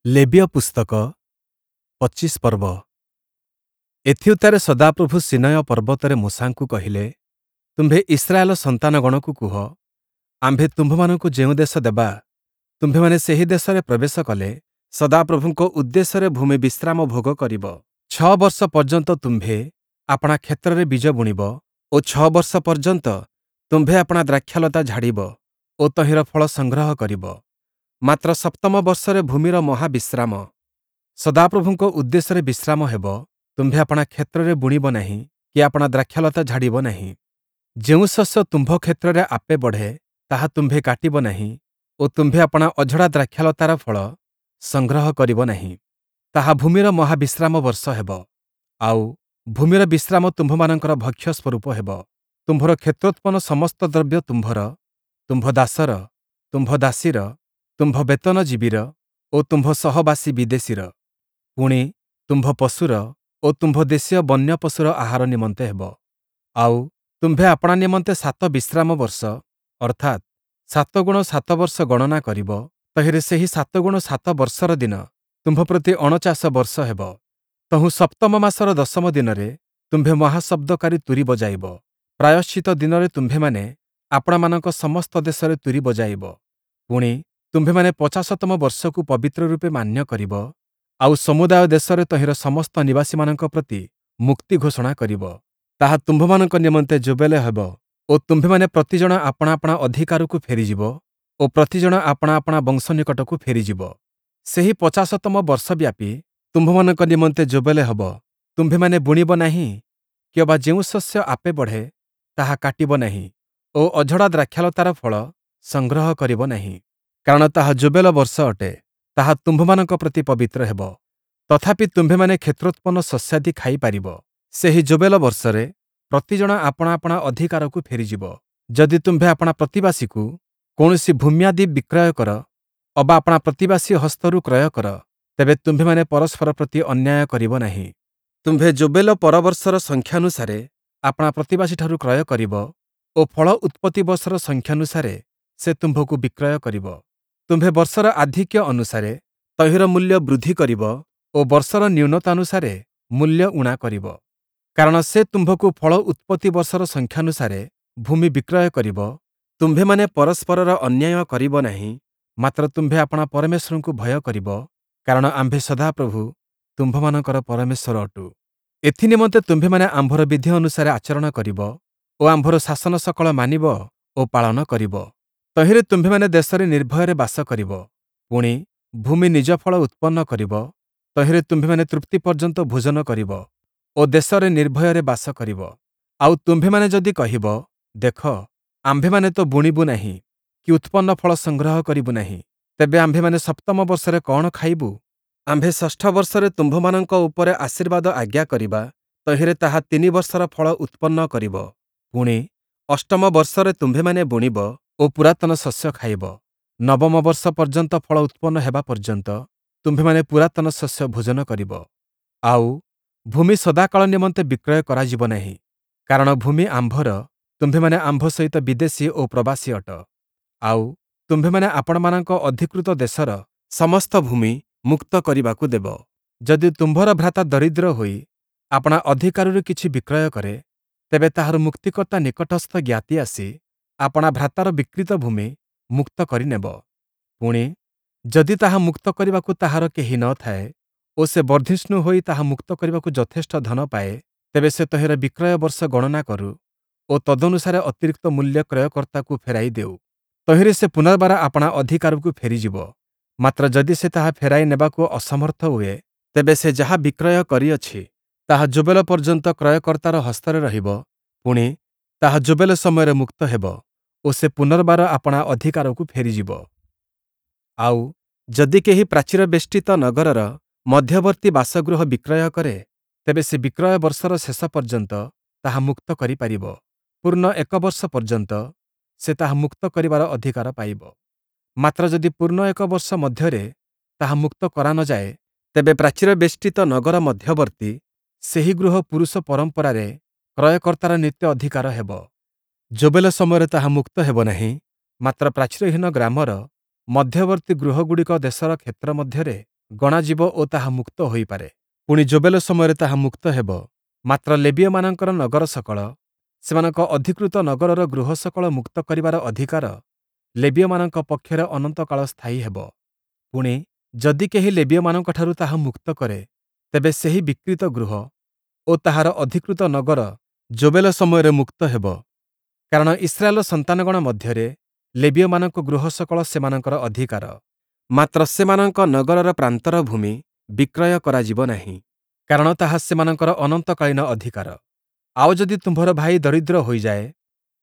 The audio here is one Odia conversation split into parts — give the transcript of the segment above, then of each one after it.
ଲେବୀୟ ପୁସ୍ତକ 25 ପର୍ବ। ଏଥିଉତ୍ତାରେ ସଦାପ୍ରଭୁ ସୀନୟ ପର୍ବତରେ ମୋଶାଙ୍କୁ କହିଲେ, ତୁମ୍ଭେ ଇସ୍ରାଏଲ ସନ୍ତାନଗଣକୁ କୁହ, ଆମ୍ଭେ ତୁମ୍ଭମାନଙ୍କୁ ଯେଉଁ ଦେଶ ଦେବା, ତୁମ୍ଭେମାନେ ସେହି ଦେଶରେ ପ୍ରବେଶ କଲେ ସଦାପ୍ରଭୁଙ୍କ ଉଦ୍ଦେଶ୍ୟରେ ଭୂମି ବିଶ୍ରାମ ଭୋଗ କରିବ। 6 ବର୍ଷ ପର୍ଯ୍ୟନ୍ତ ତୁମ୍ଭେ ଆପଣା କ୍ଷେତ୍ରରେ ବୀଜ ବୁଣିବ ଓ 6 ବର୍ଷ ପର୍ଯ୍ୟନ୍ତ ତୁମ୍ଭେ ଆପଣା ଦ୍ରାକ୍ଷାଲତା ଝାଡ଼ିବ ଓ ତହିଁର ଫଳ ସଂଗ୍ରହ କରିବ। ମାତ୍ର ସପ୍ତମ ବର୍ଷରେ ଭୂମିର ମହାବିଶ୍ରାମ, ସଦାପ୍ରଭୁଙ୍କ ଉଦ୍ଦେଶ୍ୟରେ ବିଶ୍ରାମ ହେବ। ତୁମ୍ଭେ ଆପଣା କ୍ଷେତ୍ରରେ ବୁଣିବ ନାହିଁ କି ଆପଣା ଦ୍ରାକ୍ଷାଲତା ଝାଡ଼ିବ ନାହିଁ। ଯେଉଁ ଶସ୍ୟ ତୁମ୍ଭ କ୍ଷେତ୍ରରେ ଆପେ ବଢ଼େ, ତାହା ତୁମ୍ଭେ କାଟିବ ନାହିଁ ଓ ତୁମ୍ଭେ ଆପଣା ଅଝଡ଼ା ଦ୍ରାକ୍ଷାଲତାର ଫଳ ସଂଗ୍ରହ କରିବ ନାହିଁ। ତାହା ଭୂମିର ମହାବିଶ୍ରାମ ବର୍ଷ ହେବ, ଆଉ ଭୂମିର ବିଶ୍ରାମ ତୁମ୍ଭମାନଙ୍କର ଭକ୍ଷ୍ୟ ସ୍ୱରୂପ ହେବ। ତୁମ୍ଭର କ୍ଷେତ୍ରୋତ୍ପନ୍ନ ସମସ୍ତ ଦ୍ରବ୍ୟ ତୁମ୍ଭର, ତୁମ୍ଭ ଦାସର, ତୁମ୍ଭ ଦାସୀର, ତୁମ୍ଭ ବେତନଜୀବୀର ଓ ତୁମ୍ଭ ସହବାସୀ ବିଦେଶୀର, ପୁଣି ତୁମ୍ଭ ପଶୁର ଓ ତୁମ୍ଭ ଦେଶୀୟ ବନ୍ୟ ପଶୁର ଆହାର ନିମନ୍ତେ ହେବ। ଆଉ ତୁମ୍ଭେ ଆପଣା ନିମନ୍ତେ 7 ବିଶ୍ରାମ ବର୍ଷ, ଅର୍ଥାତ୍ 7 ଗୁଣ 7 ବର୍ଷ ଗଣନା କରିବ। ତହିଁରେ ସେହି 7 ଗୁଣ 7 ବର୍ଷର ଦିନ ତୁମ୍ଭ ପ୍ରତି 49 ବର୍ଷ ହେବ। ତହୁଁ ସପ୍ତମ ମାସର ଦଶମ ଦିନରେ ତୁମ୍ଭେ ମହାଶବ୍ଦକାରୀ ତୂରୀ ବଜାଇବ। ପ୍ରାୟଶ୍ଚିତ ଦିନରେ ତୁମ୍ଭେମାନେ ଆପଣାମାନଙ୍କ ସମସ୍ତ ଦେଶରେ ତୂରୀ ବଜାଇବ। ପୁଣି ତୁମ୍ଭେମାନେ 50ତମ ବର୍ଷକୁ ପବିତ୍ର ରୂପେ ମାନ୍ୟ କରିବ, ଆଉ ସମୁଦାୟ ଦେଶରେ ତହିଁର ସମସ୍ତ ନିବାସୀମାନଙ୍କ ପ୍ରତି ମୁକ୍ତି ଘୋଷଣା କରିବ। ତାହା ତୁମ୍ଭମାନଙ୍କ ନିମନ୍ତେ ଯୋବେଲେ ହେବ ଓ ତୁମ୍ଭେମାନେ ପ୍ରତିଜଣ ଆପଣା ଆପଣା ଅଧିକାରକୁ ଫେରିଯିବ ଓ ପ୍ରତିଜଣ ଆପଣା ଆପଣା ବଂଶ ନିକଟକୁ ଫେରିଯିବ। ସେହି 50ତମ ବର୍ଷବ୍ୟାପୀ ତୁମ୍ଭମାନଙ୍କ ନିମନ୍ତେ ଯୋବେଲେ ହେବ। ତୁମ୍ଭେମାନେ ବୁଣିବ ନାହିଁ କିଅବା ଯେଉଁ ଶସ୍ୟ ଆପେ ବଢ଼େ ତାହା କାଟିବ ନାହିଁ ଓ ଅଝଡ଼ା ଦ୍ରାକ୍ଷାଲତାର ଫଳ ସଂଗ୍ରହ କରିବ ନାହିଁ, କାରଣ ତାହା ଯୋବେଲ ବର୍ଷ ଅଟେ, ତାହା ତୁମ୍ଭମାନଙ୍କ ପ୍ରତି ପବିତ୍ର ହେବ। ତଥାପି ତୁମ୍ଭେମାନେ କ୍ଷେତ୍ରୋତ୍ପନ୍ନ ଶସ୍ୟାଦି ଖାଇପାରିବ। ସେହି ଯୋବେଲ ବର୍ଷରେ ପ୍ରତିଜଣ ଆପଣା ଆପଣା ଅଧିକାରକୁ ଫେରିଯିବ। ଯଦି ତୁମ୍ଭେ ଆପଣା ପ୍ରତିବାସୀକୁ କୌଣସି ଭୂମ୍ୟାଦି ବିକ୍ରୟ କର ଅବା ଆପଣା ପ୍ରତିବାସୀ ହସ୍ତରୁ କ୍ରୟ କର, ତେବେ ତୁମ୍ଭେମାନେ ପରସ୍ପର ପ୍ରତି ଅନ୍ୟାୟ କରିବ ନାହିଁ। ତୁମ୍ଭେ ଯୋବେଲ ପରବର୍ଷର ସଂଖ୍ୟାନୁସାରେ ଆପଣା ପ୍ରତିବାସୀଠାରୁ କ୍ରୟ କରିବ ଓ ଫଳ ଉତ୍ପତ୍ତି ବର୍ଷର ସଂଖ୍ୟାନୁସାରେ ସେ ତୁମ୍ଭକୁ ବିକ୍ରୟ କରିବ। ତୁମ୍ଭେ ବର୍ଷର ଆଧିକ୍ୟ ଅନୁସାରେ ତହିଁର ମୂଲ୍ୟ ବୃଦ୍ଧି କରିବ ଓ ବର୍ଷର ନ୍ୟୁନତାନୁସାରେ ମୂଲ୍ୟ ଊଣା କରିବ। କାରଣ ସେ ତୁମ୍ଭକୁ ଫଳ ଉତ୍ପତ୍ତି ବର୍ଷର ସଂଖ୍ୟାନୁସାରେ ଭୂମି ବିକ୍ରୟ କରିବ। ତୁମ୍ଭେମାନେ ପରସ୍ପରର ଅନ୍ୟାୟ କରିବ ନାହିଁ, ମାତ୍ର ତୁମ୍ଭେ ଆପଣା ପରମେଶ୍ୱରଙ୍କୁ ଭୟ କରିବ, କାରଣ ଆମ୍ଭେ ସଦାପ୍ରଭୁ ତୁମ୍ଭମାନଙ୍କର ପରମେଶ୍ୱର ଅଟୁ। ଏଥିନିମନ୍ତେ ତୁମ୍ଭେମାନେ ଆମ୍ଭର ବିଧି ଅନୁସାରେ ଆଚରଣ କରିବ ଓ ଆମ୍ଭର ଶାସନ ସକଳ ମାନିବ ଓ ପାଳନ କରିବ। ତହିଁରେ ତୁମ୍ଭେମାନେ ଦେଶରେ ନିର୍ଭୟରେ ବାସ କରିବ। ପୁଣି ଭୂମି ନିଜ ଫଳ ଉତ୍ପନ୍ନ କରିବ, ତହିଁରେ ତୁମ୍ଭେମାନେ ତୃପ୍ତି ପର୍ଯ୍ୟନ୍ତ ଭୋଜନ କରିବ ଓ ଦେଶରେ ନିର୍ଭୟରେ ବାସ କରିବ। ଆଉ ତୁମ୍ଭେମାନେ ଯଦି କହିବ, ଦେଖ, ଆମ୍ଭେମାନେ ତ ବୁଣିବୁ ନାହିଁ କି ଉତ୍ପନ୍ନ ଫଳ ସଂଗ୍ରହ କରିବୁ ନାହିଁ, ତେବେ ଆମ୍ଭେମାନେ ସପ୍ତମ ବର୍ଷରେ କଅଣ ଖାଇବୁ? ଆମ୍ଭେ ଷଷ୍ଠ ବର୍ଷରେ ତୁମ୍ଭମାନଙ୍କ ଉପରେ ଆଶୀର୍ବାଦ ଆଜ୍ଞା କରିବା, ତହିଁରେ ତାହା 3 ବର୍ଷର ଫଳ ଉତ୍ପନ୍ନ କରିବ। ପୁଣି ଅଷ୍ଟମ ବର୍ଷରେ ତୁମ୍ଭେମାନେ ବୁଣିବ ଓ ପୁରାତନ ଶସ୍ୟ ଖାଇବ। ନବମ ବର୍ଷ ପର୍ଯ୍ୟନ୍ତ ଫଳ ଉତ୍ପନ୍ନ ହେବା ପର୍ଯ୍ୟନ୍ତ ତୁମ୍ଭେମାନେ ପୁରାତନ ଶସ୍ୟ ଭୋଜନ କରିବ। ଆଉ ଭୂମି ସଦାକାଳ ନିମନ୍ତେ ବିକ୍ରୟ କରାଯିବ ନାହିଁ, କାରଣ ଭୂମି ଆମ୍ଭର, ତୁମ୍ଭେମାନେ ଆମ୍ଭ ସହିତ ବିଦେଶୀ ଓ ପ୍ରବାସୀ ଅଟ। ଆଉ ତୁମ୍ଭେମାନେ ଆପଣମାନଙ୍କ ଅଧିକୃତ ଦେଶର ସମସ୍ତ ଭୂମି ମୁକ୍ତ କରିବାକୁ ଦେବ। ଯଦି ତୁମ୍ଭର ଭ୍ରାତା ଦରିଦ୍ର ହୋଇ ଆପଣା ଅଧିକାରରୁ କିଛି ବିକ୍ରୟ କରେ, ତେବେ ତାହାର ମୁକ୍ତିକର୍ତ୍ତା ନିକଟସ୍ଥ ଜ୍ଞାତି ଆସି ଆପଣା ଭ୍ରାତାର ବିକ୍ରୀତ ଭୂମି ମୁକ୍ତ କରିନେବ। ପୁଣି ଯଦି ତାହା ମୁକ୍ତ କରିବାକୁ ତାହାର କେହି ନ ଥାଏ ଓ ସେ ବର୍ଦ୍ଧିଷ୍ଣୁ ହୋଇ ତାହା ମୁକ୍ତ କରିବାକୁ ଯଥେଷ୍ଟ ଧନ ପାଏ, ତେବେ ସେ ତହିଁର ବିକ୍ରୟ ବର୍ଷ ଗଣନା କରୁ ଓ ତଦନୁସାରେ ଅତିରିକ୍ତ ମୂଲ୍ୟ କ୍ରୟକର୍ତ୍ତାକୁ ଫେରାଇ ଦେଉ। ତହିଁରେ ସେ ପୁନର୍ବାର ଆପଣା ଅଧିକାରକୁ ଫେରିଯିବ। ମାତ୍ର ଯଦି ସେ ତାହା ଫେରାଇ ନେବାକୁ ଅସମର୍ଥ ହୁଏ, ତେବେ ସେ ଯାହା ବିକ୍ରୟ କରିଅଛି ତାହା ଯୋବେଲ ପର୍ଯ୍ୟନ୍ତ କ୍ରୟକର୍ତ୍ତାର ହସ୍ତରେ ରହିବ। ପୁଣି ତାହା ଯୋବେଲ ସମୟରେ ମୁକ୍ତ ହେବ ଓ ସେ ପୁନର୍ବାର ଆପଣା ଅଧିକାରକୁ ଫେରିଯିବ। ଆଉ ଯଦି କେହି ପ୍ରାଚୀରବେଷ୍ଟିତ ନଗରର ମଧ୍ୟବର୍ତ୍ତୀ ବାସଗୃହ ବିକ୍ରୟ କରେ, ତେବେ ସେ ବିକ୍ରୟ ବର୍ଷର ଶେଷ ପର୍ଯ୍ୟନ୍ତ ତାହା ମୁକ୍ତ କରିପାରିବ। ପୂର୍ଣ୍ଣ 1 ବର୍ଷ ପର୍ଯ୍ୟନ୍ତ ସେ ତାହା ମୁକ୍ତ କରିବାର ଅଧିକାର ପାଇବ। ମାତ୍ର ଯଦି ପୂର୍ଣ୍ଣ 1 ବର୍ଷ ମଧ୍ୟରେ ତାହା ମୁକ୍ତ କରାନଯାଏ, ତେବେ ପ୍ରାଚୀରବେଷ୍ଟିତ ନଗର ମଧ୍ୟବର୍ତ୍ତୀ ସେହି ଗୃହ ପୁରୁଷ ପରମ୍ପରାରେ କ୍ରୟକର୍ତ୍ତାର ନିତ୍ୟ ଅଧିକାର ହେବ। ଯୋବେଲ ସମୟରେ ତାହା ମୁକ୍ତ ହେବ ନାହିଁ, ମାତ୍ର ପ୍ରାଚୀରହୀନ ଗ୍ରାମର ମଧ୍ୟବର୍ତ୍ତୀ ଗୃହଗୁଡ଼ିକ ଦେଶର କ୍ଷେତ୍ର ମଧ୍ୟରେ ଗଣାଯିବ ଓ ତାହା ମୁକ୍ତ ହୋଇପାରେ। ପୁଣି ଯୋବେଲ ସମୟରେ ତାହା ମୁକ୍ତ ହେବ। ମାତ୍ର ଲେବୀୟମାନଙ୍କର ନଗରସକଳ, ସେମାନଙ୍କ ଅଧିକୃତ ନଗରର ଗୃହସକଳ ମୁକ୍ତ କରିବାର ଅଧିକାର ଲେବୀୟମାନଙ୍କ ପକ୍ଷରେ ଅନନ୍ତକାଳ ସ୍ଥାୟୀ ହେବ। ପୁଣି, ଯଦି କେହି ଲେବୀୟମାନଙ୍କଠାରୁ ତାହା ମୁକ୍ତ କରେ, ତେବେ ସେହି ବିକ୍ରୀତ ଗୃହ ଓ ତାହାର ଅଧିକୃତ ନଗର ଯୋବେଲ ସମୟରେ ମୁକ୍ତ ହେବ। କାରଣ ଇସ୍ରାଏଲର ସନ୍ତାନଗଣ ମଧ୍ୟରେ ଲେବୀୟମାନଙ୍କ ଗୃହସକଳ ସେମାନଙ୍କର ଅଧିକାର। ମାତ୍ର ସେମାନଙ୍କ ନଗରର ପ୍ରାନ୍ତର ଭୂମି ବିକ୍ରୟ କରାଯିବ ନାହିଁ, କାରଣ ତାହା ସେମାନଙ୍କର ଅନନ୍ତକାଳୀନ ଅଧିକାର। ଆଉ ଯଦି ତୁମ୍ଭର ଭାଇ ଦରିଦ୍ର ହୋଇଯାଏ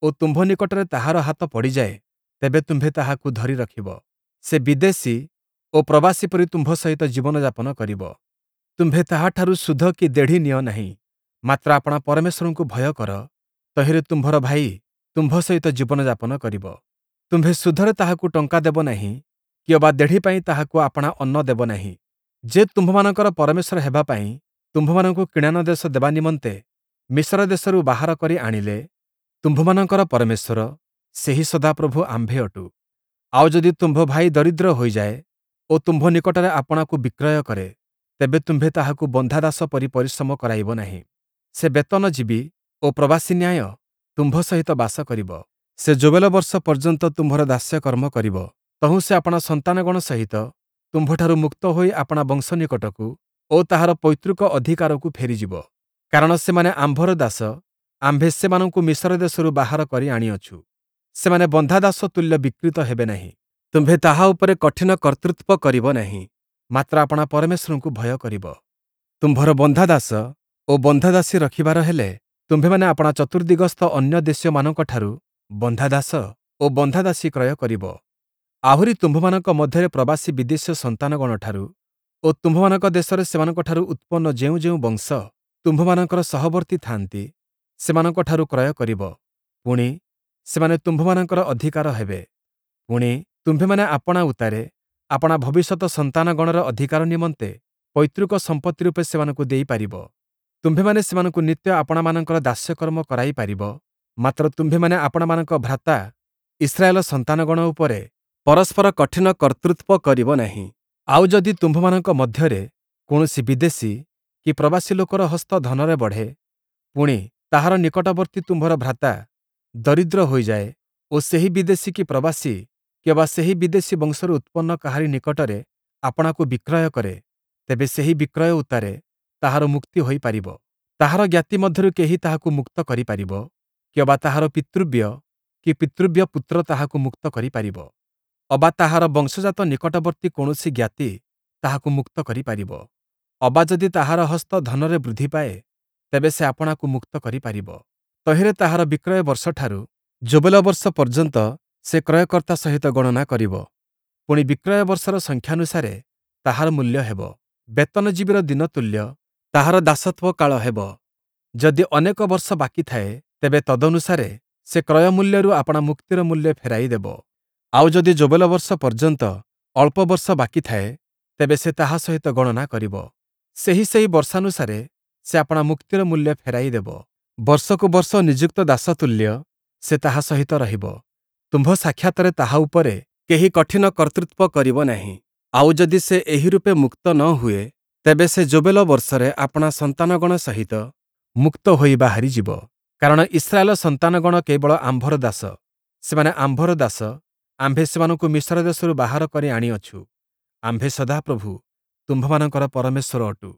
ଓ ତୁମ୍ଭ ନିକଟରେ ତାହାର ହାତ ପଡ଼ିଯାଏ, ତେବେ ତୁମ୍ଭେ ତାହାକୁ ଧରି ରଖିବ। ସେ ବିଦେଶୀ ଓ ପ୍ରବାସୀ ପରି ତୁମ୍ଭ ସହିତ ଜୀବନଯାପନ କରିବ। ତୁମ୍ଭେ ତାହାଠାରୁ ସୁଧ କି ଦେଢ଼ି ନିଅ ନାହିଁ, ମାତ୍ର ଆପଣା ପରମେଶ୍ୱରଙ୍କୁ ଭୟ କର, ତହିଁରେ ତୁମ୍ଭର ଭାଇ ତୁମ୍ଭ ସହିତ ଜୀବନଯାପନ କରିବ। ତୁମ୍ଭେ ସୁଧରେ ତାହାକୁ ଟଙ୍କା ଦେବ ନାହିଁ କି ଅବା ଦେଢ଼ି ପାଇଁ ତାହାକୁ ଆପଣା ଅନ୍ନ ଦେବ ନାହିଁ। ଯେ ତୁମ୍ଭମାନଙ୍କର ପରମେଶ୍ୱର ହେବା ପାଇଁ ତୁମ୍ଭମାନଙ୍କୁ କିଣାନ ଦେଶ ଦେବା ନିମନ୍ତେ ମିଶର ଦେଶରୁ ବାହାର କରି ଆଣିଲେ, ତୁମ୍ଭମାନଙ୍କର ପରମେଶ୍ୱର, ସେହି ସଦାପ୍ରଭୁ ଆମ୍ଭେ ଅଟୁ। ଆଉ ଯଦି ତୁମ୍ଭ ଭାଇ ଦରିଦ୍ର ହୋଇଯାଏ ଓ ତୁମ୍ଭ ନିକଟରେ ଆପଣାକୁ ବିକ୍ରୟ କରେ, ତେବେ ତୁମ୍ଭେ ତାହାକୁ ବନ୍ଧାଦାସ ପରି ପରିଶ୍ରମ କରାଇବ ନାହିଁ। ସେ ବେତନଜୀବୀ ଓ ପ୍ରବାସୀ ନ୍ୟାୟ ତୁମ୍ଭ ସହିତ ବାସ କରିବ। ସେ ଯୋବେଲ ବର୍ଷ ପର୍ଯ୍ୟନ୍ତ ତୁମ୍ଭର ଦାସ୍ୟକର୍ମ କରିବ। ତହୁଁ ସେ ଆପଣା ସନ୍ତାନଗଣ ସହିତ ତୁମ୍ଭଠାରୁ ମୁକ୍ତ ହୋଇ ଆପଣା ବଂଶ ନିକଟକୁ ଓ ତାହାର ପୈତୃକ ଅଧିକାରକୁ ଫେରିଯିବ। କାରଣ ସେମାନେ ଆମ୍ଭର ଦାସ, ଆମ୍ଭେ ସେମାନଙ୍କୁ ମିଶର ଦେଶରୁ ବାହାର କରି ଆଣିଅଛୁ। ସେମାନେ ବନ୍ଧାଦାସ ତୁଲ୍ୟ ବିକ୍ରୀତ ହେବେ ନାହିଁ। ତୁମ୍ଭେ ତାହା ଉପରେ କଠିନ କର୍ତ୍ତୃତ୍ୱ କରିବ ନାହିଁ, ମାତ୍ର ଆପଣା ପରମେଶ୍ୱରଙ୍କୁ ଭୟ କରିବ। ତୁମ୍ଭର ବନ୍ଧାଦାସ ଓ ବନ୍ଧାଦାସୀ ରଖିବାର ହେଲେ ତୁମ୍ଭେମାନେ ଆପଣା ଚତୁର୍ଦ୍ଦିଗସ୍ଥ ଅନ୍ୟ ଦେଶୀୟମାନଙ୍କଠାରୁ ବନ୍ଧାଦାସ ଓ ବନ୍ଧାଦାସୀ କ୍ରୟ କରିବ। ଆହୁରି ତୁମ୍ଭମାନଙ୍କ ମଧ୍ୟରେ ପ୍ରବାସୀ ବିଦେଶୀୟ ସନ୍ତାନଗଣଠାରୁ ଓ ତୁମ୍ଭମାନଙ୍କ ଦେଶରେ ସେମାନଙ୍କଠାରୁ ଉତ୍ପନ୍ନ ଯେଉଁ ଯେଉଁ ବଂଶ ତୁମ୍ଭମାନଙ୍କର ସହବର୍ତ୍ତୀ ଥାନ୍ତି, ସେମାନଙ୍କଠାରୁ କ୍ରୟ କରିବ। ପୁଣି, ସେମାନେ ତୁମ୍ଭମାନଙ୍କର ଅଧିକାର ହେବେ। ପୁଣି, ତୁମ୍ଭେମାନେ ଆପଣା ଉତ୍ତାରେ ଆପଣା ଭବିଷ୍ୟତ ସନ୍ତାନଗଣର ଅଧିକାର ନିମନ୍ତେ ପୈତୃକ ସମ୍ପତ୍ତି ରୂପେ ସେମାନଙ୍କୁ ଦେଇପାରିବ। ତୁମ୍ଭେମାନେ ସେମାନଙ୍କୁ ନିତ୍ୟ ଆପଣାମାନଙ୍କର ଦାସ୍ୟକର୍ମ କରାଇ ପାରିବ, ମାତ୍ର ତୁମ୍ଭେମାନେ ଆପଣାମାନଙ୍କ ଭ୍ରାତା ଇସ୍ରାଏଲ ସନ୍ତାନଗଣ ଉପରେ ପରସ୍ପର କଠିନ କର୍ତ୍ତୃତ୍ୱ କରିବ ନାହିଁ। ଆଉ ଯଦି ତୁମ୍ଭମାନଙ୍କ ମଧ୍ୟରେ କୌଣସି ବିଦେଶୀ କି ପ୍ରବାସୀ ଲୋକର ହସ୍ତ ଧନରେ ବଢ଼େ, ପୁଣି, ତାହାର ନିକଟବର୍ତ୍ତୀ ତୁମ୍ଭର ଭ୍ରାତା ଦରିଦ୍ର ହୋଇଯାଏ ଓ ସେହି ବିଦେଶୀ କି ପ୍ରବାସୀ କିଅବା ସେହି ବିଦେଶୀ ବଂଶରୁ ଉତ୍ପନ୍ନ କାହାରି ନିକଟରେ ଆପଣାକୁ ବିକ୍ରୟ କରେ, ତେବେ ସେହି ବିକ୍ରୟ ଉତ୍ତାରେ ତାହାର ମୁକ୍ତି ହୋଇପାରିବ। ତାହାର ଜ୍ଞାତି ମଧ୍ୟରୁ କେହି ତାହାକୁ ମୁକ୍ତ କରିପାରିବ, କିଅବା ତାହାର ପିତୃବ୍ୟ କି ପିତୃବ୍ୟ ପୁତ୍ର ତାହାକୁ ମୁକ୍ତ କରିପାରିବ, ଅବା ତାହାର ବଂଶଜାତ ନିକଟବର୍ତ୍ତୀ କୌଣସି ଜ୍ଞାତି ତାହାକୁ ମୁକ୍ତ କରିପାରିବ। ଅବା ଯଦି ତାହାର ହସ୍ତ ଧନରେ ବୃଦ୍ଧି ପାଏ, ତେବେ ସେ ଆପଣାକୁ ମୁକ୍ତ କରିପାରିବ। ତହିଁରେ ତାହାର ବିକ୍ରୟ ବର୍ଷଠାରୁ ଯୋବେଲ ବର୍ଷ ପର୍ଯ୍ୟନ୍ତ ସେ କ୍ରୟକର୍ତ୍ତା ସହିତ ଗଣନା କରିବ। ପୁଣି ବିକ୍ରୟ ବର୍ଷର ସଂଖ୍ୟାନୁସାରେ ତାହାର ମୂଲ୍ୟ ହେବ। ବେତନଜୀବୀର ଦିନ ତୁଲ୍ୟ ତାହାର ଦାସତ୍ୱ କାଳ ହେବ। ଯଦି ଅନେକ ବର୍ଷ ବାକି ଥାଏ, ତେବେ ତଦନୁସାରେ ସେ କ୍ରୟ ମୂଲ୍ୟରୁ ଆପଣା ମୁକ୍ତିର ମୂଲ୍ୟ ଫେରାଇ ଦେବ। ଆଉ ଯଦି ଯୋବେଲ ବର୍ଷ ପର୍ଯ୍ୟନ୍ତ ଅଳ୍ପ ବର୍ଷ ବାକି ଥାଏ, ତେବେ ସେ ତାହା ସହିତ ଗଣନା କରିବ। ସେହି ସେହି ବର୍ଷାନୁସାରେ ସେ ଆପଣା ମୁକ୍ତିର ମୂଲ୍ୟ ଫେରାଇ ଦେବ। ବର୍ଷକୁ ବର୍ଷ ନିଯୁକ୍ତ ଦାସ ତୁଲ୍ୟ ସେ ତାହା ସହିତ ରହିବ। ତୁମ୍ଭ ସାକ୍ଷାତରେ ତାହା ଉପରେ କେହି କଠିନ କର୍ତ୍ତୃତ୍ୱ କରିବ ନାହିଁ। ଆଉ ଯଦି ସେ ଏହି ରୂପେ ମୁକ୍ତ ନ ହୁଏ, ତେବେ ସେ ଯୋବେଲ ବର୍ଷରେ ଆପଣା ସନ୍ତାନଗଣ ସହିତ ମୁକ୍ତ ହୋଇ ବାହାରିଯିବ। କାରଣ ଇସ୍ରାଏଲ ସନ୍ତାନଗଣ କେବଳ ଆମ୍ଭର ଦାସ। ସେମାନେ ଆମ୍ଭର ଦାସ, ଆମ୍ଭେ ସେମାନଙ୍କୁ ମିଶର ଦେଶରୁ ବାହାର କରି ଆଣିଅଛୁ। ଆମ୍ଭେ ସଦାପ୍ରଭୁ ତୁମ୍ଭମାନଙ୍କର ପରମେଶ୍ୱର ଅଟୁ।